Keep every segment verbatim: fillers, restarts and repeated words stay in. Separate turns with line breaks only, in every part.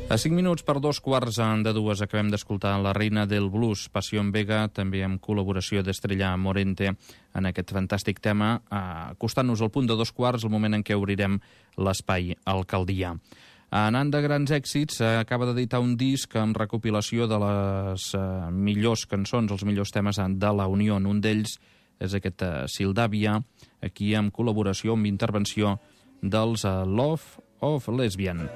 A cinc minuts per dos quarts de dues acabem d'escoltar La reina del blues, Pasión Vega, també amb col·laboració d'Estrella Morente en aquest fantàstic tema, acostant-nos al punt de dos quarts, el moment en què obrirem l'espai Alcaldia. Anant de grans èxits, acaba d'editar un disc amb recopilació de les millors cançons, els millors temes de la Unió. Un d'ells és aquest Sildàvia, aquí amb col·laboració, amb intervenció dels Love of Lesbian.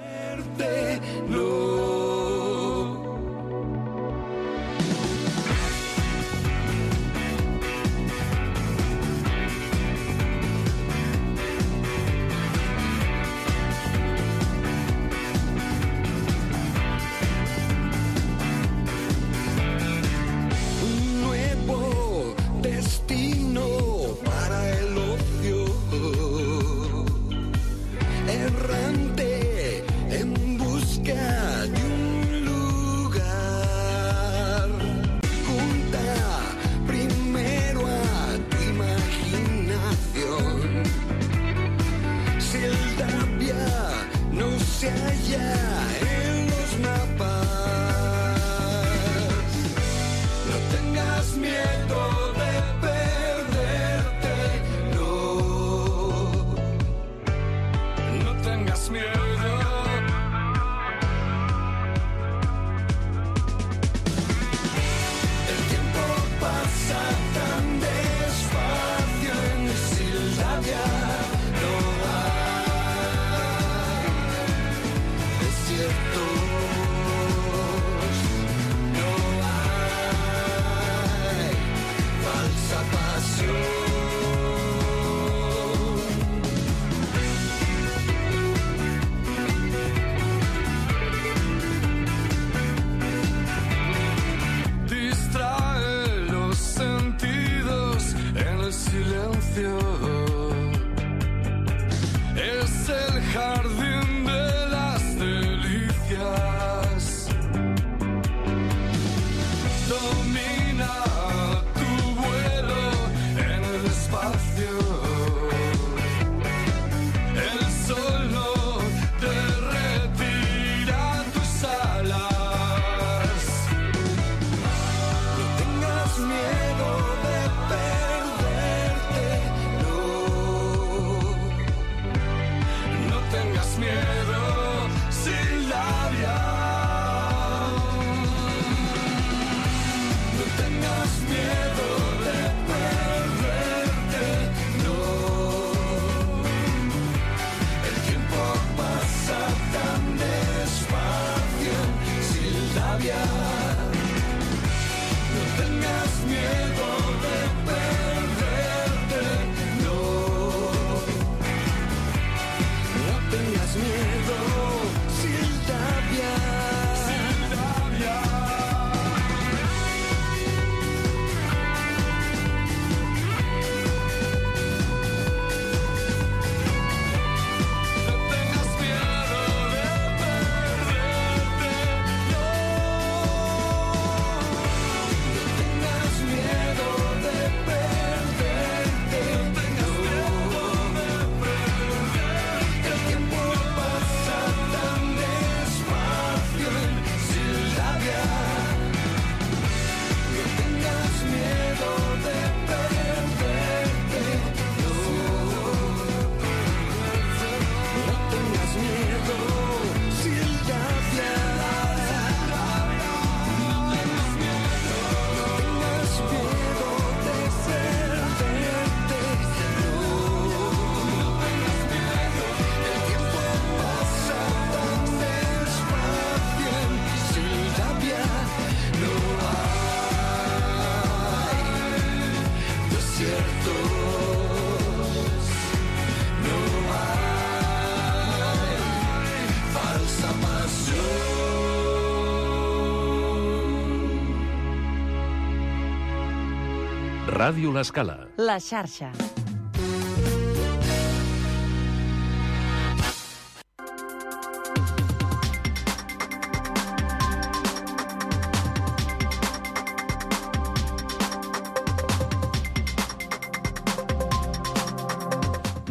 Ràdio L'Escala.
La xarxa.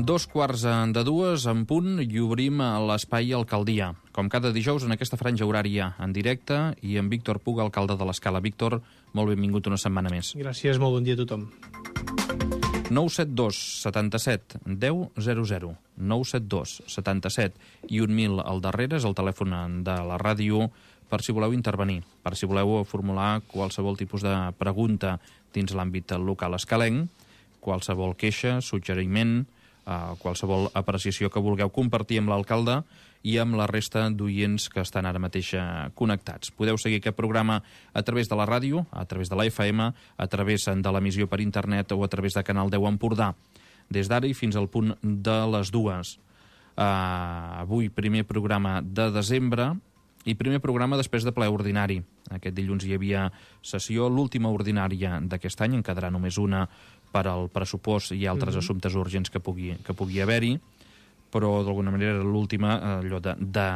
Dos quarts de dues en punt i obrim l'espai Alcaldia. Com cada dijous en aquesta franja horària en directe i amb Víctor Puga, alcalde de l'Escala. Víctor, molt benvingut una setmana més.
Gràcies, molt bon dia a tothom.
nou set dos setanta-set deu zero zero. nou set dos setanta-set i un mil al darrere és el telèfon de la ràdio per si voleu intervenir, per si voleu formular qualsevol tipus de pregunta dins l'àmbit local escalenc, qualsevol queixa, suggeriment, Uh, qualsevol apreciació que vulgueu compartir amb l'alcalde i amb la resta d'oients que estan ara mateix connectats. Podeu seguir aquest programa a través de la ràdio, a través de la F M, a través de l'emissió per internet o a través de Canal deu Empordà, des d'ara i fins al punt de les dues. Uh, avui primer programa de desembre i primer programa després de ple ordinari. Aquest dilluns hi havia sessió, l'última ordinària d'aquest any, en quedarà només una per al pressupost i altres mm-hmm. assumptes urgents que pugui, que pugui haver-hi, però d'alguna manera era l'última, allò de, de,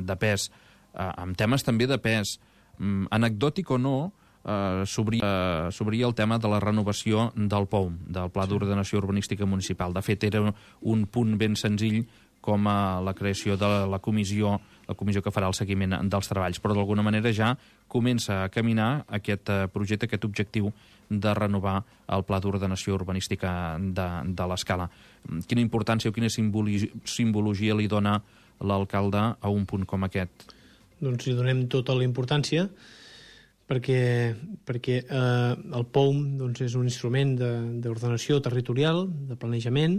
de pes, eh, amb temes també de pes, mm, anecdòtic o no, eh, s'obria eh, el tema de la renovació del P O U M, del Pla sí. d'Ordenació Urbanística Municipal. De fet, era un punt ben senzill com a la creació de la comissió, la comissió que farà el seguiment dels treballs, però d'alguna manera ja comença a caminar aquest projecte, aquest objectiu de renovar el Pla d'Ordenació Urbanística de, de l'Escala. Quina importància o quina simbologia, simbologia li dona l'alcalde a un punt com aquest?
Doncs li donem tota la importància perquè, perquè eh, el P O U M doncs, és un instrument d'ordenació territorial, de planejament,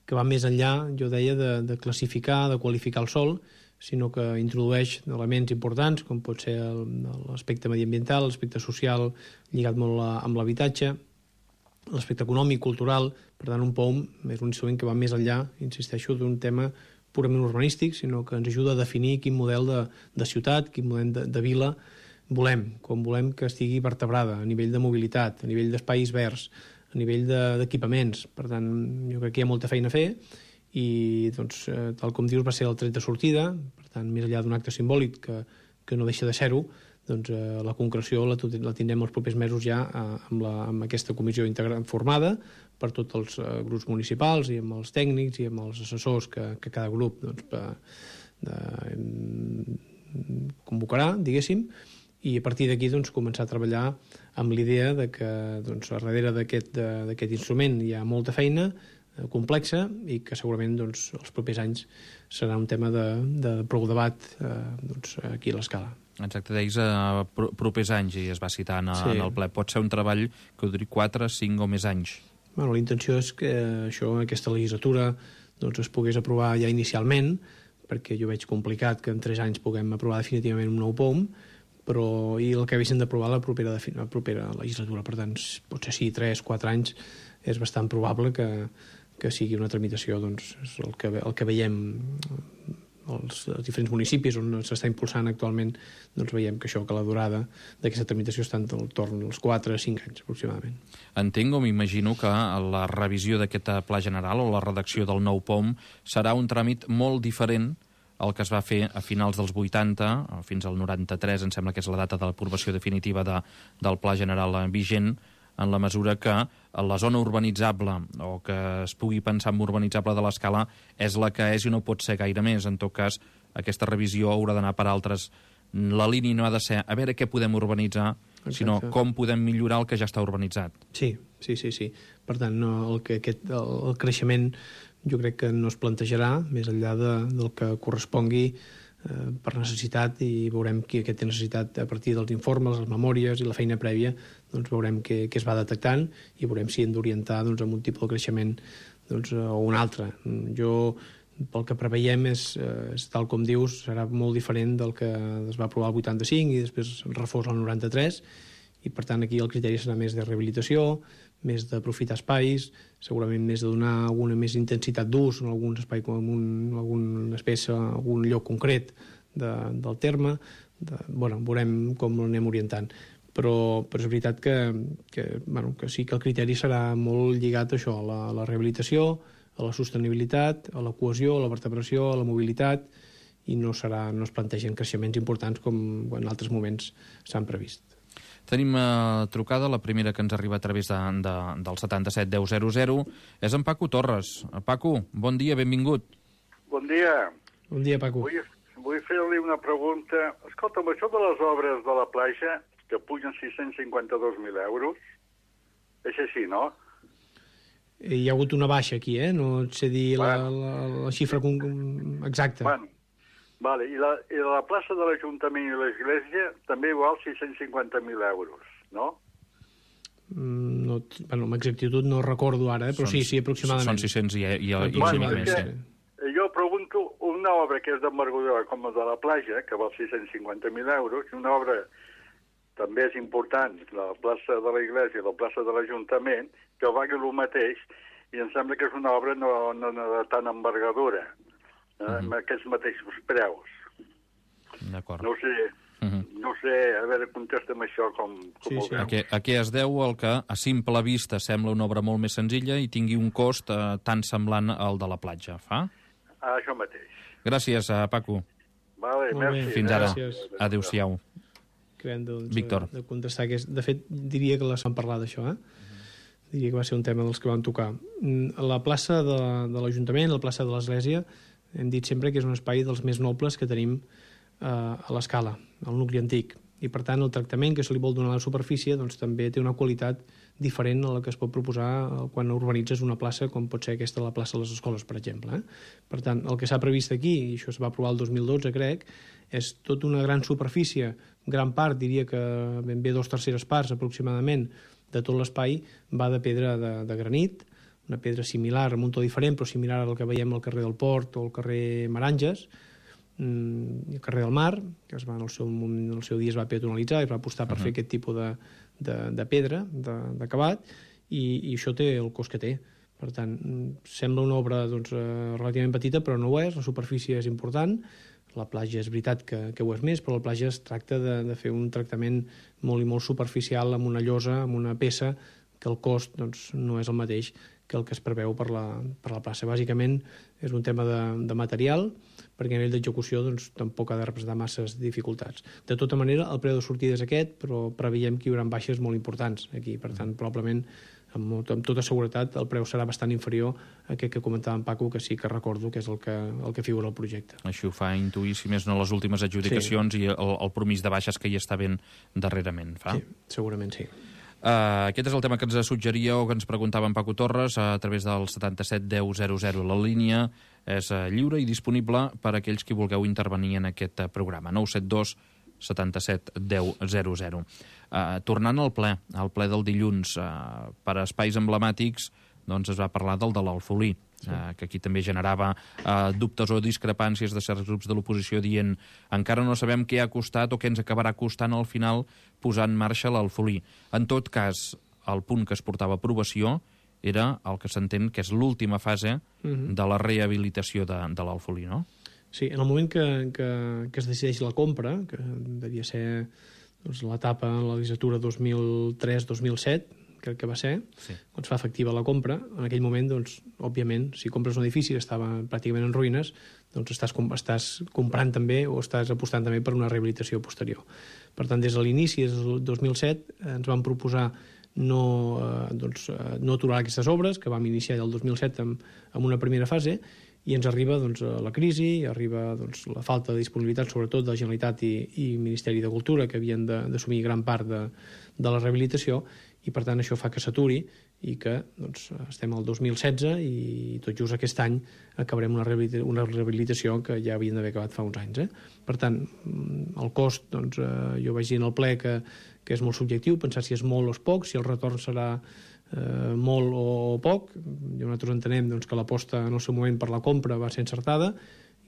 que va més enllà, jo deia, de, de classificar, de qualificar el sòl, sinó que introdueix elements importants, com pot ser l'aspecte mediambiental, l'aspecte social lligat molt a, amb l'habitatge, l'aspecte econòmic, cultural. Per tant, un P O U M és un instrument que va més enllà, insisteixo, d'un tema purament urbanístic, sinó que ens ajuda a definir quin model de, de ciutat, quin model de, de vila volem, com volem que estigui vertebrada a nivell de mobilitat, a nivell d'espais verds, a nivell d'equipaments. Per tant, jo crec que hi ha molta feina a fer i, doncs, eh, tal com dius, va ser el tret de sortida. Per tant, més enllà d'un acte simbòlic que, que no deixa de ser-ho, doncs, eh, la concreció la, la tindrem els propers mesos ja eh, amb, la, amb aquesta comissió integrada formada per tots els eh, grups municipals i amb els tècnics i amb els assessors que, que cada grup doncs, per, de, convocarà, diguéssim, i a partir d'aquí doncs, començar a treballar amb l'idea de que doncs, darrere d'aquest instrument hi ha molta feina eh, complexa i que segurament doncs, els propers anys serà un tema de, de prou debat eh, doncs, aquí a l'Escala.
Exacte, deies a uh, propers anys i es va citar en, sí. en el ple. Pot ser un treball que duri quatre, cinc o més anys?
Bueno, la intenció és que això, aquesta legislatura doncs, es pogués aprovar ja inicialment, perquè jo veig complicat que en tres anys puguem aprovar definitivament un nou P O U M, però i el que haguessin d'aprovar la propera, la propera legislatura. Per tant, potser sí, tres, quatre anys és bastant probable que, que sigui una tramitació, doncs, és el que, el que veiem als diferents municipis on s'està impulsant actualment, doncs veiem que això, que la durada d'aquesta tramitació està al torn dels quatre a cinc anys aproximadament.
Entenc o m'imagino que la revisió d'aquest pla general o la redacció del nou P O U M serà un tràmit molt diferent el que es va fer a finals dels vuitanta, fins al noranta-tres, em sembla que és la data de l'aprovació definitiva de, del Pla General vigent, en la mesura que la zona urbanitzable, o que es pugui pensar en urbanitzable de l'Escala, és la que és i no pot ser gaire més. En tot cas, aquesta revisió haurà d'anar per altres. La línia no ha de ser a veure què podem urbanitzar, Exacte. sinó com podem millorar el que ja està urbanitzat.
Sí, sí, sí. sí. Per tant, no, el, que aquest, el, el creixement jo crec que no es plantejarà més enllà de, del que correspongui eh, per necessitat, i veurem qui aquest té necessitat a partir dels informes, les memòries i la feina prèvia, doncs veurem què, què es va detectant i veurem si hem d'orientar doncs, amb un tipus de creixement doncs, o un altre. Jo, pel que preveiem, és, és tal com dius, serà molt diferent del que es va aprovar el vuitanta-cinc i després refós el noranta-tres, i per tant aquí el criteri serà més de rehabilitació, més d'aprofitar espais, segurament més de donar alguna més intensitat d'ús en algun espai, com un, alguna espècie, algun lloc concret de, del terme. De, bueno, veurem com l'anem orientant. Però, però és veritat que, que, bueno, que sí que el criteri serà molt lligat a això, a la, a la rehabilitació, a la sostenibilitat, a la cohesió, a la vertebració, a la mobilitat, i no, serà, no es plantegen creixements importants com en altres moments s'han previst.
Tenim uh, trucada, la primera que ens arriba a través de, de, del setanta-set deu zero zero. És en Paco Torres. Paco, bon dia, benvingut.
Bon dia.
Bon dia, Paco.
Vull, vull fer-li una pregunta. Escolta'm, això de les obres de la platja, que pugen sis-cents cinquanta-dos mil euros, és així, no?
Hi ha hagut una baixa aquí, eh? No et sé dir la, la, la xifra exacta.
Bueno, vale. I, la, I la plaça de l'Ajuntament i l'Església també igual sis-cents cinquanta mil euros, no?
Mm, no bueno, amb exactitud no recordo ara, eh? Però són, sí, sí, aproximadament.
Són sis-cents i, i, i, i
bueno,
més.
Sí. Jo pregunto una obra que és d'envergadura com la de la platja, que val sis-cents cinquanta mil euros, i una obra també és important, la plaça de l'Església i la plaça de l'Ajuntament, que valgui el mateix, i em sembla que és una obra no, no, no de tant envergadura, eh, uh-huh. amb aquests mateixos preus.
D'acord.
No sé, uh-huh. no sé, a veure, contesta'm això com, com
sí,
ho
sí.
veu.
A què, a què es deu el que a simple vista sembla una obra molt més senzilla i tingui un cost eh, tan semblant al de la platja, fa?
Ah, això mateix.
Gràcies, eh, Paco.
Vale,
molt
merci.
bé.
Fins ara.
Gràcies.
Adéu-siau.
Creiem, doncs,
Víctor.
de contestar. Que és, de fet, diria que les van parlar d'això, eh? Uh-huh. Diria que va ser un tema dels que van tocar. La plaça de, de l'Ajuntament, la plaça de l'Església, hem dit sempre que és un espai dels més nobles que tenim eh, a l'escala, al nucli antic. I, per tant, el tractament que se li vol donar a la superfície doncs, també té una qualitat diferent a la que es pot proposar quan urbanitzes una plaça com pot ser aquesta la plaça de les escoles, per exemple. Eh? Per tant, el que s'ha previst aquí, i això es va aprovar el dos mil dotze, crec, és tota una gran superfície, gran part, diria que ben bé dos terceres parts aproximadament de tot l'espai va de pedra de, de granit, una pedra similar, amb un to diferent, però similar al que veiem al carrer del Port o al carrer Maranges, i el carrer del Mar, que es va, en, el seu, en el seu dia es va peatonalitzar i es va apostar per uh-huh. fer aquest tipus de, de, de pedra, d'acabat, i, i això té el cost que té. Per tant, sembla una obra doncs, relativament petita, però no ho és, la superfície és important, la platja és veritat que, que ho és més, però la platja es tracta de, de fer un tractament molt i molt superficial amb una llosa, amb una peça, que el cost doncs, no és el mateix que el que es preveu per la, per la plaça. Bàsicament és un tema de, de material, perquè a nivell d'execució doncs, tampoc ha de representar masses dificultats. De tota manera, el preu de sortida és aquest, però preveiem que hi haurà baixes molt importants aquí. Per tant, probablement, amb, amb tota seguretat, el preu serà bastant inferior a aquest que comentava en Paco, que sí que recordo que és el que, el que figura al projecte.
Així ho fa intuir, si més no, les últimes adjudicacions sí. i el, el promís de baixes que hi està ben darrerament. Fa?
Sí, segurament sí.
Uh, aquest és el tema que ens suggeria o que ens preguntava en Paco Torres a través del setanta-set deu zero zero. La línia és uh, lliure i disponible per a aquells que vulgueu intervenir en aquest uh, programa. nou set dos setanta-set deu zero zero. Uh, tornant al ple, al ple del dilluns, uh, per a espais emblemàtics, doncs es va parlar del de l'Alfolí, sí. uh, que aquí també generava uh, dubtes o discrepàncies de certs grups de l'oposició dient encara no sabem què ha costat o què ens acabarà costant al final posar en marxa l'Alfolí. En tot cas, el punt que es portava a aprovació era el que s'entén que és l'última fase uh-huh. de la rehabilitació de, de l'Alfolí, no?
Sí, en el moment que, que, que es decideix la compra, que devia ser doncs, l'etapa en la legislatura dos mil tres dos mil set, crec que va ser, sí. quan es fa efectiva la compra, en aquell moment, doncs, òbviament, si compres un edifici que estava pràcticament en ruïnes, doncs estàs, estàs comprant també o estàs apostant també per una rehabilitació posterior. Per tant, des de l'inici, des del dos mil set, ens van proposar no, eh, doncs, no aturar aquestes obres, que vam iniciar el dos mil set amb, amb una primera fase, i ens arriba doncs, la crisi, arriba doncs, la falta de disponibilitat, sobretot de la Generalitat i, i Ministeri de Cultura, que havien d'assumir gran part de, de la rehabilitació, i per tant això fa que s'aturi i que doncs, estem al dos mil setze i tot just aquest any acabarem una rehabilitació, una rehabilitació que ja havien d'haver acabat fa uns anys. Eh? Per tant, el cost, doncs, eh, jo vaig dir en el ple que, que és molt subjectiu, pensar si és molt o és poc, si el retorn serà eh, molt o poc. I nosaltres entenem doncs, que l'aposta en el seu moment per la compra va ser encertada,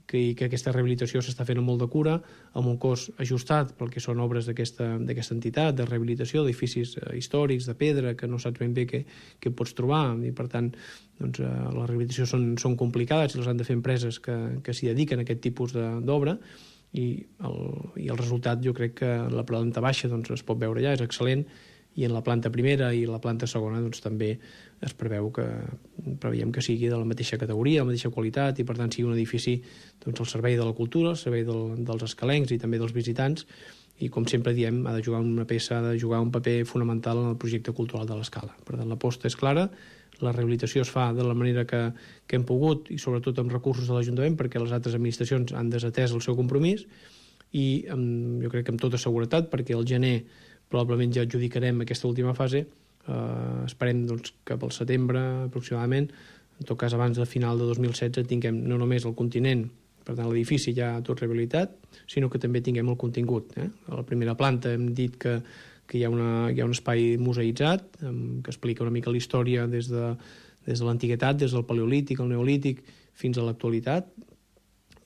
que, i que aquesta rehabilitació s'està fent amb molt de cura, amb un cost ajustat pel que són obres d'aquesta entitat, de rehabilitació d'edificis eh, històrics, de pedra, que no saps ben bé què, què pots trobar, i per tant doncs, eh, les rehabilitacions són, són complicades i les han de fer empreses que, que s'hi dediquen a aquest tipus d'obra, i el, i el resultat jo crec que la planta baixa doncs, es pot veure ja, és excel·lent, i en la planta primera i la planta segona doncs, també es preveu que preveiem que sigui de la mateixa categoria, la mateixa qualitat, i per tant sigui un edifici doncs, al servei de la cultura, al servei del, dels escalencs i també dels visitants, i com sempre diem, ha de jugar una peça, ha de jugar un paper fonamental en el projecte cultural de l'Escala. Per tant, l'aposta és clara, la rehabilitació es fa de la manera que, que hem pogut i sobretot amb recursos de l'Ajuntament perquè les altres administracions han desatès el seu compromís i amb, jo crec que amb tota seguretat perquè al gener probablement ja adjudicarem aquesta última fase, eh, esperem doncs, cap al setembre aproximadament, en tot cas abans de final de dos mil setze tinguem no només el continent, per tant l'edifici ja tot rehabilitat, sinó que també tinguem el contingut. Eh? A la primera planta hem dit que que hi ha, una, hi ha un espai museïtzat que explica una mica la història des de, des de l'antiguitat, des del paleolític, el neolític, fins a l'actualitat,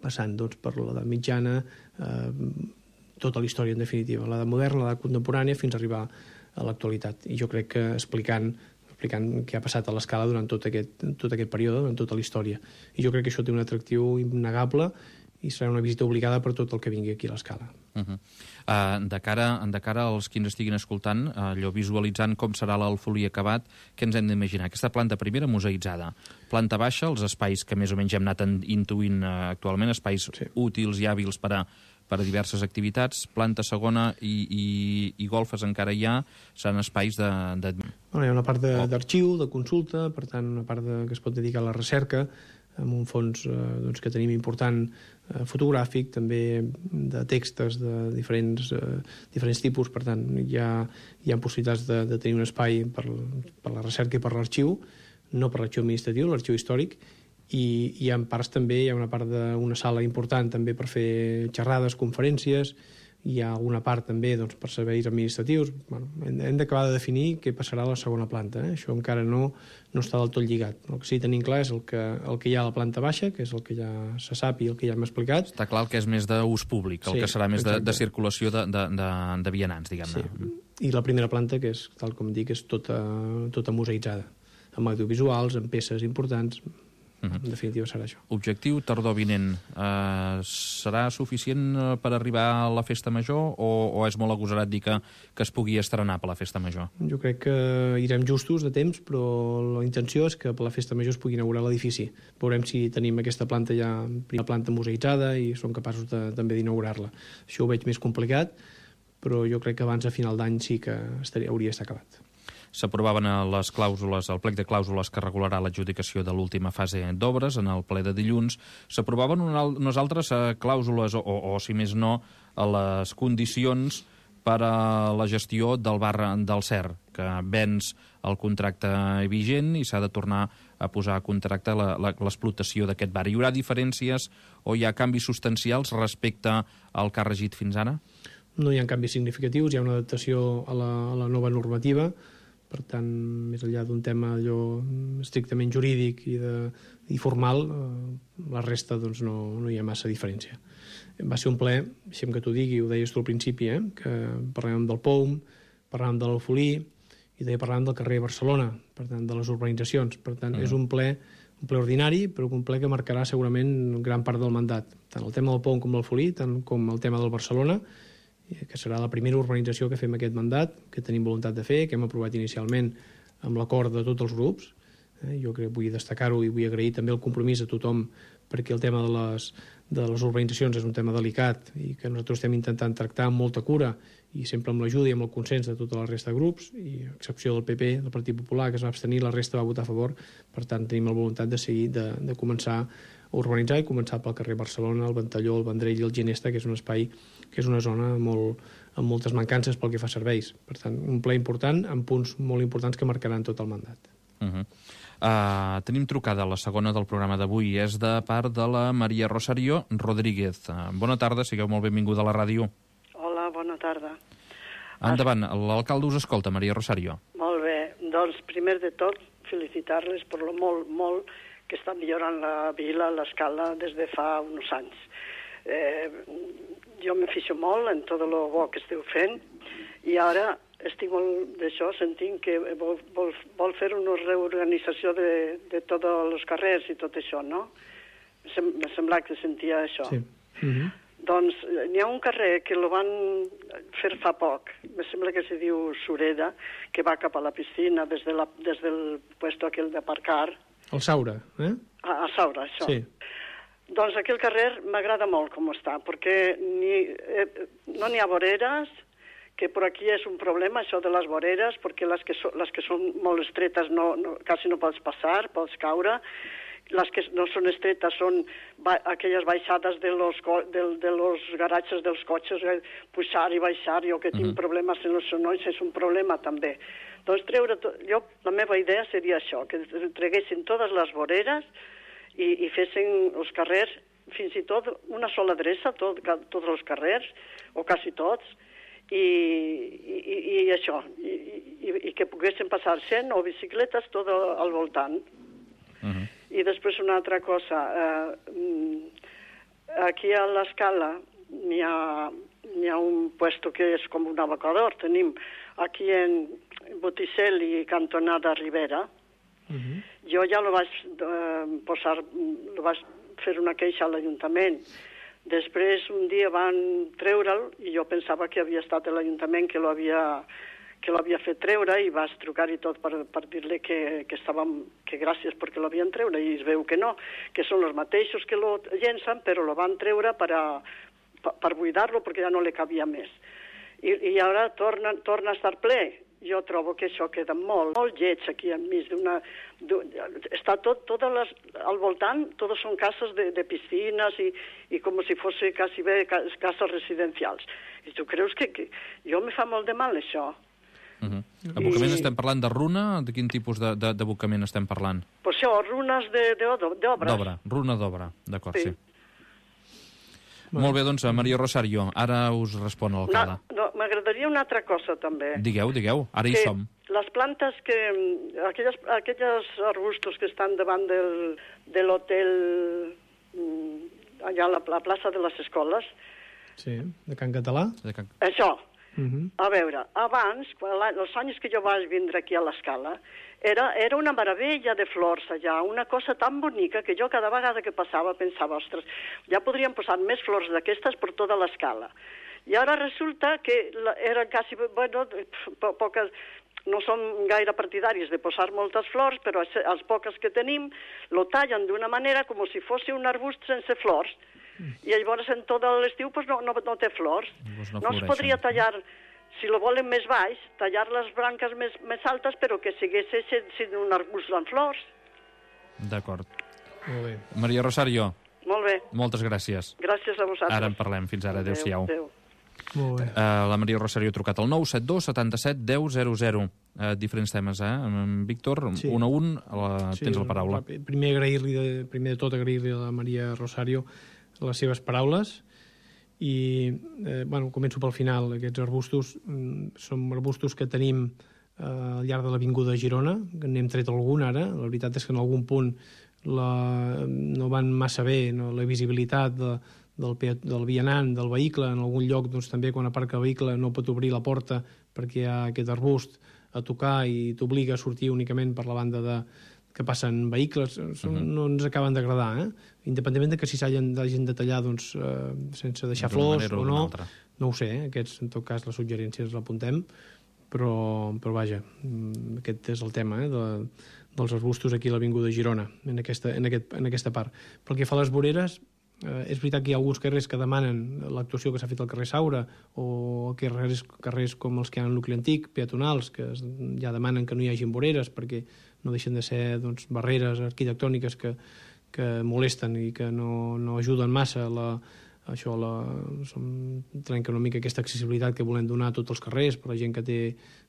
passant doncs, per l'edat mitjana, eh, tota la història en definitiva, l'edat moderna, l'edat contemporània, fins a arribar a l'actualitat. I jo crec que explicant, explicant què ha passat a l'Escala durant tot aquest, tot aquest període, durant tota la història. I jo crec que això té un atractiu innegable i serà una visita obligada per tot el que vingui aquí a l'Escala.
Uh -huh. uh, de, cara, de cara als qui ens estiguin escoltant, uh, allò visualitzant com serà l'Alfolí acabat, què ens hem d'imaginar? Aquesta planta primera museïtzada, planta baixa, els espais que més o menys hem anat intuint uh, actualment, espais sí. útils i hàbils per a, per a diverses activitats, planta segona i, i, i golfes encara hi ha, seran espais de... de...
Bueno, hi ha una part d'arxiu, de, de consulta, per tant una part de, que es pot dedicar a la recerca, amb un fons eh, doncs, que tenim important eh, fotogràfic, també de textos de diferents, eh, diferents tipus, per tant hi ha, hi ha possibilitats de, de tenir un espai per, per la recerca i per l'arxiu, no per l'arxiu administratiu, l'arxiu històric, i hi ha parts també, hi ha una part d'una sala important també per fer xerrades, conferències, hi ha alguna part també doncs, per serveis administratius. Bueno, hem, hem d'acabar de definir què passarà a la segona planta. Eh? Això encara no, no està del tot lligat. El que sí que tenim clar és el que, el que hi ha a la planta baixa, que és el que ja se sap i el que ja hem explicat.
Està clar que és més d'ús públic, el
sí,
que serà més de,
exacte.
de circulació de, de, de, de vianants, diguem-ne.
Sí. I la primera planta, que és, tal com dic, és tota, tota museïtzada, amb audiovisuals, amb peces importants. Uh-huh. En definitiva serà això.
Objectiu tardor vinent. Uh, serà suficient per arribar a la festa major o, o és molt agosarat dir que, que es pugui estrenar per la festa major?
Jo crec que irem justos de temps, però la intenció és que per la festa major es pugui inaugurar l'edifici. Veurem si tenim aquesta planta ja, primera planta museïtzada i som capaços de, també d'inaugurar-la. Això ho veig més complicat, però jo crec que abans a final d'any sí que estaria, hauria d'estar acabat.
S'aprovaven les clàusules, el plec de clàusules que regularà l'adjudicació de l'última fase d'obres en el ple de dilluns. S'aprovaven unes altres clàusules, o, o, o si més no, a les condicions per a la gestió del bar del Cer, que venç el contracte vigent i s'ha de tornar a posar a contracte l'explotació d'aquest bar. Hi haurà diferències o hi ha canvis substancials respecte al que ha regit fins ara?
No hi ha canvis significatius, hi ha una adaptació a la, a la nova normativa. Per tant, més enllà d'un tema allò estrictament jurídic i, de, i formal, eh, la resta doncs, no, no hi ha massa diferència. Va ser un ple, deixem que t'ho digui, ho deies tu al principi, eh, que parlàvem del P O U M, parlàvem de l'Alfolí i també parlàvem del carrer Barcelona, per tant, de les urbanitzacions. Per tant, mm. és un ple, un ple ordinari, però un ple que marcarà segurament gran part del mandat. Tant el tema del P O U M com l'Alfolí, tant com el tema del Barcelona, que serà la primera urbanització que fem aquest mandat, que tenim voluntat de fer, que hem aprovat inicialment amb l'acord de tots els grups. Eh, jo crec que vull destacar-ho i vull agrair també el compromís a tothom perquè el tema de les, de les urbanitzacions és un tema delicat i que nosaltres estem intentant tractar amb molta cura i sempre amb l'ajuda i amb el consens de tota la resta de grups, i a excepció del P P, del Partit Popular, que es va abstenir, la resta va votar a favor. Per tant, tenim la voluntat de seguir, de, de començar a urbanitzar i començar pel carrer Barcelona, el Ventalló, el Vendrell i el Ginesta, que és un espai, que és una zona molt, amb moltes mancances pel que fa a serveis. Per tant, un ple important amb punts molt importants que marcaran tot el mandat.
Uh-huh. Uh, tenim trucada, la segona del programa d'avui. És de part de la Maria Rosario Rodríguez. Uh, bona tarda, sigueu molt benvinguda a la ràdio.
Hola, bona tarda.
Endavant, l'alcalde us escolta, Maria Rosario.
Molt bé, doncs primer de tot felicitar-les per lo molt, molt que està millorant la vila, l'Escala, des de fa uns anys. Eh, jo me fixo molt en tot el bo que esteu fent i ara estic molt d'això sentint que vol, vol, vol fer una reorganització de, de tots els carrers i tot això, no? M'ha semblat que sentia això. Sí. Mm-hmm. Doncs n'hi ha un carrer que el van fer fa poc, me sembla que se diu Sureda, que va cap a la piscina des, de la, des del puesto aquell d'aparcar.
El Saura, eh?
A, a Saura, això.
Sí.
Doncs aquí el carrer m'agrada molt com està, perquè ni, eh, no n'hi ha voreres, que per aquí és un problema, això de les voreres, perquè les que, so, les que són molt estretes no, no, quasi no pots passar, pots caure. Les que no són estretes són ba aquelles baixades de los, de, de los garatges dels cotxes, eh, pujar i baixar, jo que tinc uh -huh. problemes en els genolls, és un problema també. Doncs treure, jo, la meva idea seria això, que treguessin totes les voreres i, i fessin els carrers, fins i tot una sola adreça, tot, tots els carrers, o quasi tots, i, i, i això, i, i, i que poguessin passar cent o bicicletes tot al voltant. Uh -huh. I després una altra cosa, eh, aquí a l'Escala n'hi ha, n'hi ha un puesto que és com un abocador, tenim aquí en Botticell i cantonada Ribera. Uh -huh. Jo ja lo vaig eh, posar, lo vaig fer una queixa a l'Ajuntament. Després un dia van treure'l i jo pensava que havia estat l'Ajuntament que lo havia, que lo havia fet treure i vaig trucar i tot per, per dir-li que, que, estàvem, que gràcies perquè lo havien treure i es veu que no, que són els mateixos que lo llencen però lo van treure per, a, per, per buidar-lo perquè ja no li cabia més. I, i ara torna, torna a estar ple. Jo trobo que això queda molt, molt lleig aquí enmig d'una... Està tot, totes les, al voltant, totes són cases de, de piscines i, i com si fos quasi bé cases residencials. I tu creus que, que... Jo me fa molt de mal, això.
Uh -huh. Abocament I... estem parlant de runa? De quin tipus d'abocament estem parlant?
Pues això, runes d'obres.
D'obra, runa d'obra, d'acord, sí. sí. Molt bé, doncs, Maria Rosario, ara us respon l'alcalde.
No, no, m'agradaria una altra cosa, també.
Digueu, digueu, ara hi
que
som.
Les plantes que... Aquelles, aquelles arbustos que estan davant del, de l'hotel allà a la, la plaça de les escoles...
Sí, de Can Català.
De Can...
Això.
Uh -huh.
A veure, abans, quan, els anys que jo vaig vindre aquí a l'Escala, era, era una meravella de flors allà, una cosa tan bonica que jo cada vegada que passava pensava, ostres, ja podríem posar més flors d'aquestes per tota l'Escala. I ara resulta que eren quasi, bueno, po poques, no som gaire partidaris de posar moltes flors, però els poques que tenim lo tallen d'una manera com si fos un arbust sense flors. I llavors en tot l'estiu pues, no, no, no té flors.
Pues no
no es podria tallar, si lo volen més baix, tallar les branques més, més altes, però que sigués sent un arbust amb flors.
D'acord.
Molt bé.
Maria Rosario.
Molt bé.
Moltes gràcies.
Gràcies a vosaltres.
Ara en parlem. Fins ara. Adéu-siau.
Adéu.
Molt bé.
Uh, la Maria Rosario ha trucat al nou set dos setanta-set deu zero zero. Uh, diferents temes, eh? En Víctor, sí. un a un, la... sí, tens la paraula.
Primer, agrair-li de, primer de tot agrair-li a la Maria Rosario les seves paraules i, eh, bueno, començo pel final. Aquests arbustos mm, són arbustos que tenim eh, al llarg de l'avinguda de Girona, que n'hem tret algun ara. La veritat és que en algun punt la, no van massa bé, no, la visibilitat de, del, del vianant, del vehicle. En algun lloc, doncs, també, quan aparca el vehicle no pot obrir la porta perquè hi ha aquest arbust a tocar i t'obliga a sortir únicament per la banda de que passen vehicles, són, uh -huh. no ens acaben d'agradar, eh? Independentment de que si s'hagin de tallar doncs, eh, sense deixar flors o no, no ho sé, eh? Aquests, en tot cas, les suggerències l'apuntem, però, però vaja, aquest és el tema, eh? de, dels arbustos aquí a l'avinguda de Girona, en aquesta, en, aquest, en aquesta part. Pel que fa a les voreres, eh, és veritat que hi ha alguns carrers que demanen l'actuació que s'ha fet al carrer Saura o carrers, carrers com els que hi ha en nucli antic, peatonals, que ja demanen que no hi hagin voreres perquè no deixen de ser doncs, barreres arquitectòniques que, que molesten i que no, no ajuden massa a la, a això, la, som, trenca una mica aquesta accessibilitat que volem donar a tots els carrers per a la gent que té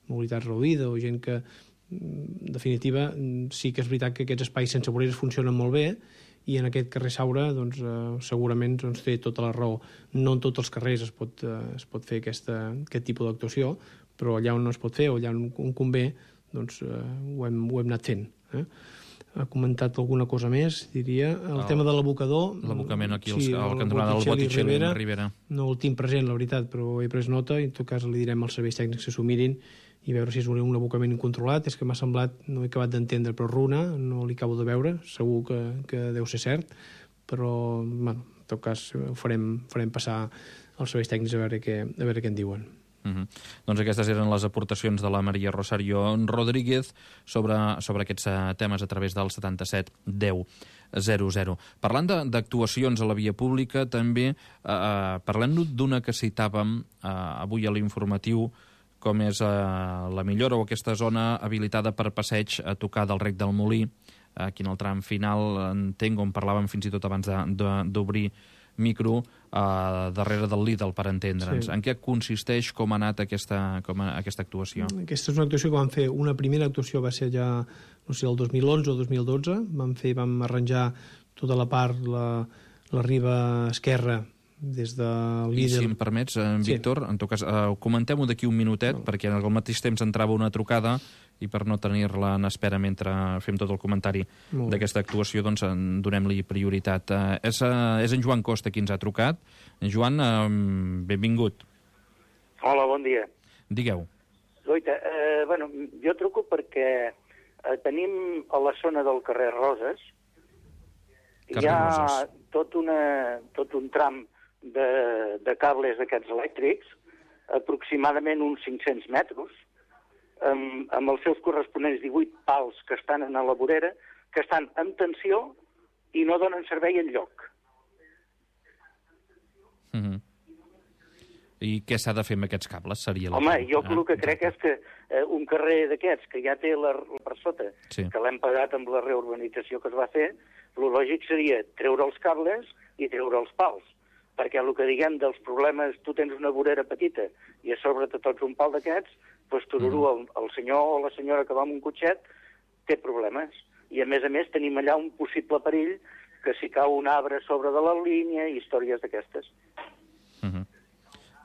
mobilitat reduïda o gent que, en definitiva, sí que és veritat que aquests espais sense voreres funcionen molt bé i en aquest carrer Saura doncs, eh, segurament doncs, té tota la raó. No en tots els carrers es pot, eh, es pot fer aquesta, aquest tipus d'actuació, però allà on no es pot fer o allà on convé doncs eh, ho, hem, ho hem anat fent. Eh? Ha comentat alguna cosa més, diria. El, el tema de l'abocador...
L'abocament aquí, sí, al cantonada del Botticell i Ribera, Ribera. No
el tinc present, la veritat, però he pres nota i en tot cas li direm als serveis tècnics que s'ho mirin i veure si és un, un abocament incontrolat. És que m'ha semblat, no he acabat d'entendre, però runa, no li acabo de veure, segur que, que deu ser cert, però, bueno, en tot cas ho farem, farem passar als serveis tècnics a veure què, a veure què en diuen.
Uh -huh. Doncs aquestes eren les aportacions de la Maria Rosario Rodríguez sobre, sobre aquests uh, temes a través del setanta set deu. zero zero. Parlant d'actuacions a la via pública, també eh, parlem d'una que citàvem eh, avui a l'informatiu, com és eh, la millora o aquesta zona habilitada per passeig a tocar del Rec del Molí, aquí en el tram final, entenc, on parlàvem fins i tot abans d'obrir micro, uh, darrere del Lidl, per entendre'ns. Sí. En què consisteix, com ha anat aquesta, com a, aquesta actuació?
Aquesta és una actuació que vam fer. Una primera actuació va ser ja, no sé, el dos mil onze o dos mil dotze. Vam fer, vam arranjar tota la part, la, la riba esquerra, des de Lidl.
I si em permets, eh, Víctor, sí. En tot cas, eh, comentem-ho d'aquí un minutet, no. Perquè al mateix temps entrava una trucada i per no tenir-la en espera mentre fem tot el comentari d'aquesta actuació, doncs donem-li prioritat. Eh, és, eh, és en Joan Costa qui ens ha trucat. Joan, eh, benvingut.
Hola, bon dia.
Digueu.
Goita, eh, bueno, jo truco perquè eh, tenim a la zona del carrer Roses, carrer hi ha Roses. Tot, una, tot un tram de, de cables d'aquests elèctrics, aproximadament uns cinc-cents metres, amb, amb els seus corresponents divuit pals que estan en la vorera, que estan en tensió i no donen servei enlloc.
Mm-hmm. I què s'ha de fer amb aquests cables? Seria la
Home,
que...
jo
ah,
el que crec és que eh, un carrer d'aquests, que ja té la, la per sota,
sí.
Que l'hem pagat amb la reurbanització que es va fer, el lògic seria treure els cables i treure els pals. Perquè el que diguem dels problemes, tu tens una vorera petita i a sobre te tots un pal d'aquests, doncs tururú, el, el senyor o la senyora que va amb un cotxet té problemes. I a més a més tenim allà un possible perill que si cau un arbre sobre de la línia i històries d'aquestes.
Uh-huh.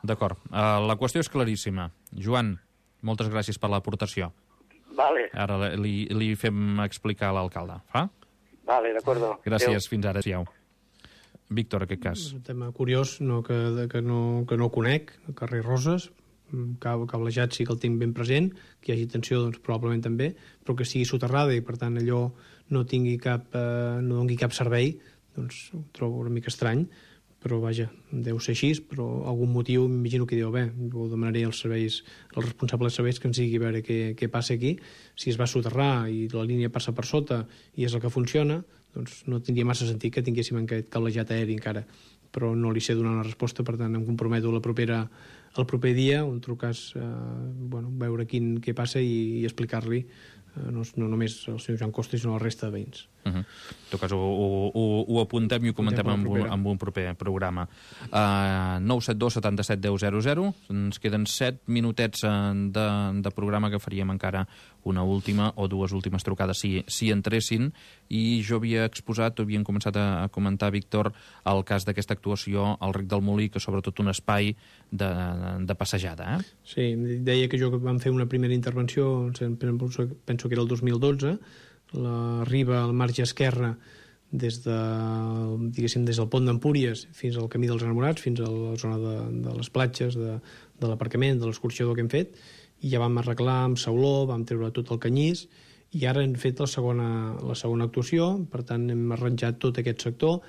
D'acord. Uh, la qüestió és claríssima. Joan, moltes gràcies per l'aportació.
Vale.
Ara li, li fem explicar a l'alcalde. Fa?
Vale, d'acord.
Gràcies,
Adeu.
fins ara. Siau. Víctor, aquest cas.
És un tema curiós, no, que, que, no, que no conec, el carrer Roses, cablejat sí que el tinc ben present, que hi hagi tensió, doncs probablement també, però que sigui soterrada i per tant allò no tingui cap, eh, no doni cap servei, doncs ho trobo una mica estrany, però vaja, deu ser així, però algun motiu m'imagino que diu, bé, ho demanaré als serveis, als responsables de serveis que ens digui a veure què, què passa aquí, si es va soterrar i la línia passa per sota i és el que funciona, doncs no tindria massa sentit que tinguéssim aquest cablejat aeri encara, però no li sé donar una resposta, per tant em comprometo la propera, el proper dia, on trucàs, eh, bueno, veure quin, què passa i, i explicar-li, eh, no, no només al senyor Joan Costa, sinó a la resta de veïns.
Uh-huh. En tot cas, ho, ho, ho, ho apuntem i ho comentem amb un, amb un proper programa. Uh, nou set dos setanta set deu zero zero. Ens queden set minutets de, de programa, que faríem encara una última o dues últimes trucades si, si entressin, i jo havia exposat, o havien començat a, a comentar, Víctor, el cas d'aquesta actuació al Rec del Molí, que sobretot un espai de, de passejada. Eh?
Sí, deia que jo que vam fer una primera intervenció, penso, penso que era el dos mil dotze, la riba al marge esquerre des de, diguéssim, des del pont d'Empúries fins al camí dels Enamorats, fins a la zona de, de les platges, de, de l'aparcament, de l'escorxador que hem fet, i ja vam arreglar amb sauló, vam treure tot el canyís, i ara hem fet la segona, la segona actuació, per tant hem arranjat tot aquest sector,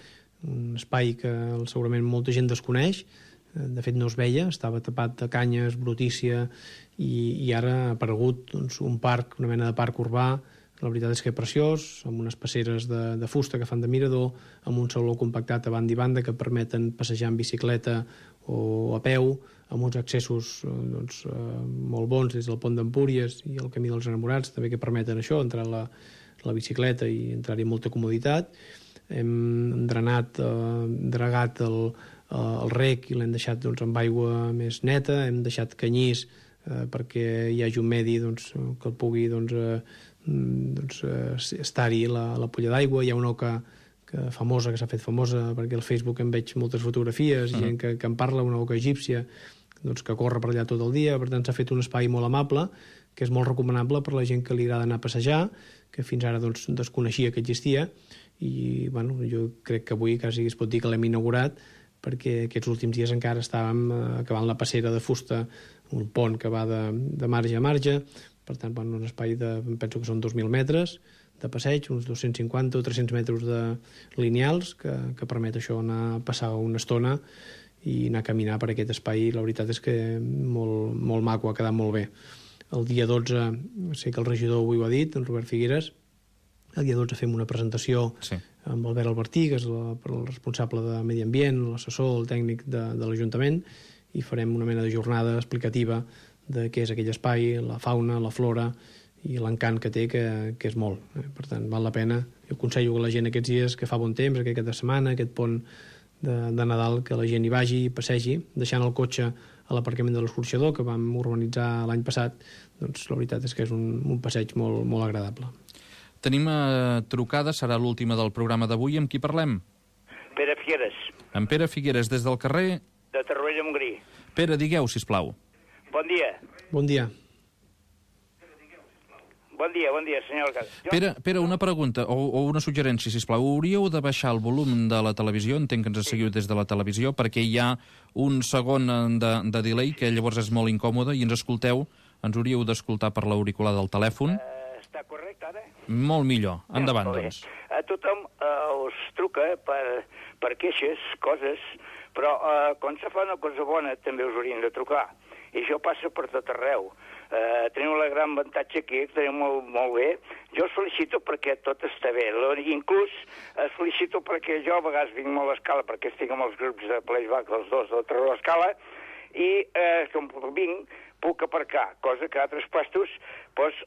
un espai que segurament molta gent desconeix, de fet no es veia, estava tapat de canyes, brutícia, i, i ara ha aparegut doncs, un parc, una mena de parc urbà. La veritat és que és preciós, amb unes passeres de, de fusta que fan de mirador, amb un sauló compactat a banda i banda que permeten passejar en bicicleta o a peu, amb uns accessos doncs, eh, molt bons des del pont d'Empúries i el camí dels Enamorats, també que permeten això, entrar a la, la bicicleta i entrar-hi amb molta comoditat. Hem drenat, eh, dragat el, el rec i l'hem deixat doncs, amb aigua més neta, hem deixat canyís eh, perquè hi hagi un medi doncs, que el pugui doncs, eh, doncs, eh, estar-hi la, la polla d'aigua. Hi ha una oca que, famosa, que s'ha fet famosa, perquè al Facebook em veig moltes fotografies, uh-huh. gent que, que en parla, una oca egípcia doncs, que corre per allà tot el dia. Per tant, s'ha fet un espai molt amable, que és molt recomanable per la gent que li agrada anar a passejar, que fins ara doncs, desconeixia que existia, i bueno, jo crec que avui quasi es pot dir que l'hem inaugurat, perquè aquests últims dies encara estàvem acabant la passera de fusta, un pont que va de, de marge a marge. Per tant, bueno, un espai de, penso que són dos mil metres de passeig, uns dos-cents cinquanta o tres-cents metres de lineals, que, que permet això anar a passar una estona i anar a caminar per aquest espai. La veritat és que molt, molt maco, ha quedat molt bé. El dia dotze, sé que el regidor avui ho ha dit, en Robert Figueres, el dia dotze fem una presentació, sí. amb Albert Albertí, que és la, el responsable de Medi Ambient, l'assessor, el tècnic de, de l'Ajuntament, i farem una mena de jornada explicativa de què és aquell espai, la fauna, la flora i l'encant que té, que, que és molt. Eh? Per tant, val la pena. Jo aconsello a la gent aquests dies que fa bon temps, aquest cap de setmana, aquest pont de, de Nadal, que la gent hi vagi i passegi, deixant el cotxe a l'aparcament de l'escorxador, que vam urbanitzar l'any passat. Doncs la veritat és que és un, un passeig molt, molt agradable.
Tenim eh, trucada, serà l'última del programa d'avui. Amb qui parlem?
Pere Figueres.
En Pere Figueres, des del carrer...
De Torroella de Montgrí.
Pere, digueu, sisplau.
Bon dia.
Bon dia.
Bon dia, bon dia, senyor alcalde. Jo...
Pere, Pere, una pregunta o, o una suggerència, sisplau. Hauríeu de baixar el volum de la televisió, entenc que ens seguiu des de la televisió, perquè hi ha un segon de, de delay, que llavors és molt incòmode, i ens escolteu, ens hauríeu d'escoltar per l'auricular del telèfon.
Uh, està correcte, ara?
Molt millor. Endavant,
ja,
doncs.
A tothom uh, us truca per, per queixes, coses, però uh, quan se fa una cosa bona també us haurien de trucar. I això passa per tot arreu. Uh, tenim el gran avantatge aquí, que tenim molt, molt bé. Jo us felicito perquè tot està bé. Inclús us felicito perquè jo a vegades vinc molt a l'escala, perquè estic amb els grups de playback, els dos de Terror a l'escala, i eh, com vinc puc aparcar, cosa que a altres puestos doncs,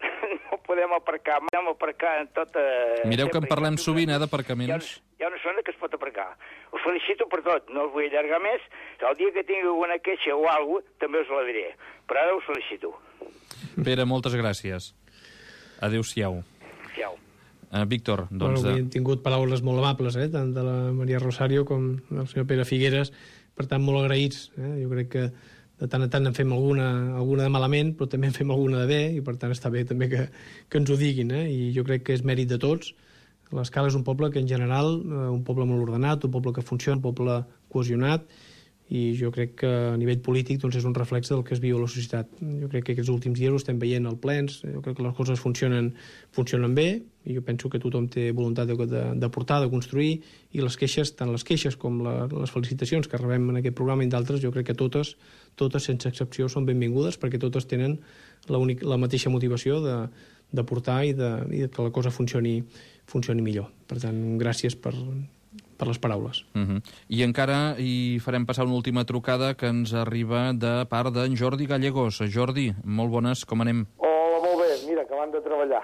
no podem aparcar. Podem aparcar en tota...
Mireu que en parlem sovint, eh, d'aparcaments.
Hi ha, hi ha una zona que es pot aparcar. Us felicito per tot, no us vull allargar més. El dia que tingui alguna queixa o alguna cosa, també us la diré. Però ara us felicito.
Pere, moltes gràcies. Adéu-siau.
Adéu.
Uh, Víctor, doncs...
Bueno,
de...
hem tingut paraules molt amables, eh, tant de la Maria Rosario com del senyor Pere Figueres, per tant, molt agraïts. Eh? Jo crec que de tant en tant en fem alguna, alguna de malament, però també en fem alguna de bé, i per tant està bé també que, que ens ho diguin, eh? I jo crec que és mèrit de tots. L'Escala és un poble que en general, eh, un poble molt ordenat, un poble que funciona, un poble cohesionat, i jo crec que a nivell polític doncs, és un reflex del que es viu a la societat. Jo crec que aquests últims dies ho estem veient al plens, jo crec que les coses funcionen, funcionen bé, i jo penso que tothom té voluntat d'aportar, de, de construir, i les queixes, tant les queixes com la, les felicitacions que rebem en aquest programa i d'altres, jo crec que totes, totes sense excepció, són benvingudes, perquè totes tenen la, únic, la mateixa motivació de d'aportar i, de, i de que la cosa funcioni, funcioni millor. Per tant, gràcies per... per les paraules.
Uh -huh. I encara hi farem passar una última trucada que ens arriba de part d'en Jordi Gallegos. Jordi, molt bones, com anem?
Hola, molt bé, mira, acabant de treballar.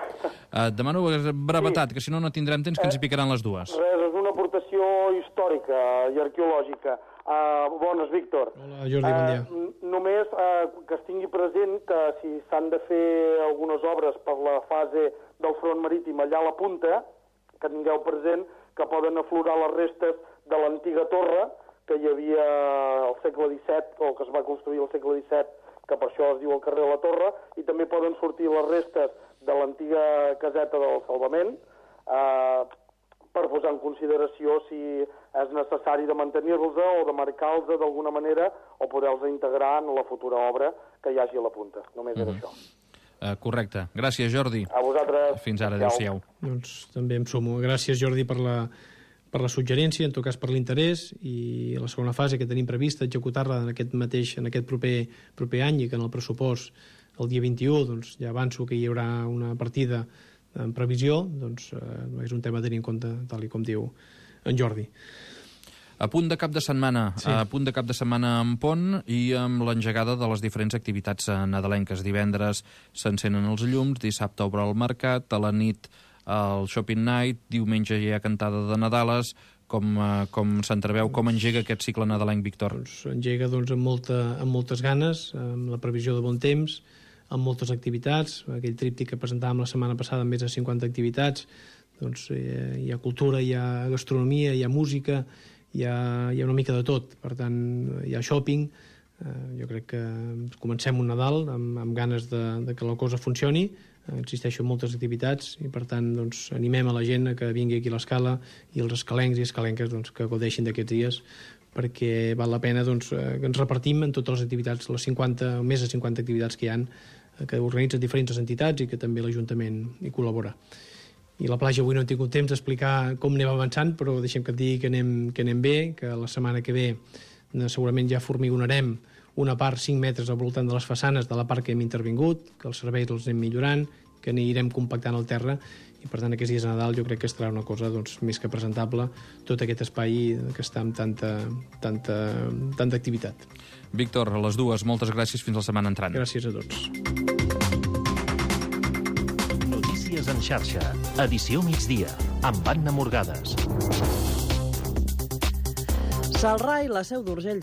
Uh, demano brevetat, sí. Que si no, no tindrem temps, que ens hi picaran les dues.
Res, és una aportació històrica i arqueològica. Uh, bones, Víctor.
Hola, Jordi, bon dia.
Uh, només uh, que es tingui present que si s'han de fer algunes obres per la fase del front marítim allà a la punta, que tingueu present que poden aflorar les restes de l'antiga torre que hi havia al segle disset, o que es va construir al segle disset, que per això es diu el carrer de la Torre, i també poden sortir les restes de l'antiga caseta del Salvament, eh, per posar en consideració si és necessari de mantenir-los o de marcar-los d'alguna manera o poder-los integrar en la futura obra que hi hagi a la punta. Només era mm-hmm. això.
Uh, correcte. Gràcies, Jordi.
A vosaltres.
Fins ara, adéu-siau.
Doncs també em sumo. Gràcies, Jordi, per la, per la suggerència, en tot cas per l'interès, i la segona fase que tenim prevista executar-la en aquest mateix, en aquest proper, proper any, i que en el pressupost el dia vint-i-u doncs, ja avanço que hi haurà una partida en previsió, doncs eh, és un tema a tenir en compte, tal com diu en Jordi.
A punt de cap de setmana, sí. A punt de cap de setmana en pont i amb l'engegada de les diferents activitats nadalenques. Divendres s'encenen els llums, dissabte obre el mercat, a la nit el shopping night, diumenge hi ha cantada de Nadales. Com, com s'entreveu, com engega aquest cicle nadalenc, Víctor?
Doncs engega doncs, amb, molta, amb moltes ganes, amb la previsió de bon temps, amb moltes activitats. Aquell tríptic que presentàvem la setmana passada amb més de cinquanta activitats, doncs hi ha, hi ha cultura, hi ha gastronomia, hi ha música, hi ha, hi ha una mica de tot. Per tant, hi ha shopping. Eh, jo crec que comencem un Nadal amb, amb ganes de, de que la cosa funcioni. Eh, existeixen moltes activitats i, per tant, doncs, animem a la gent a que vingui aquí a l'Escala i els escalencs i escalenques doncs, que gaudeixin d'aquests dies, perquè val la pena doncs, que ens repartim en totes les activitats, les cinquanta, més de cinquanta activitats que hi ha, que organitzen diferents entitats i que també l'Ajuntament hi col·labora. I la platja avui no he tingut temps d'explicar com anem avançant, però deixem que et digui que anem, que anem bé, que la setmana que ve segurament ja formigonarem una part cinc metres al voltant de les façanes de la part que hem intervingut, que els serveis els anem millorant, que anirem compactant el terra, i per tant aquests dies de Nadal jo crec que estarà una cosa doncs, més que presentable, tot aquest espai que està amb tanta, tanta, tanta activitat.
Víctor, a les dues, moltes gràcies, fins la setmana entrant.
Gràcies a tots.
Notícies en xarxa, edició migdia, amb Anna Morgades.
Celrà i la Seu d'Urgell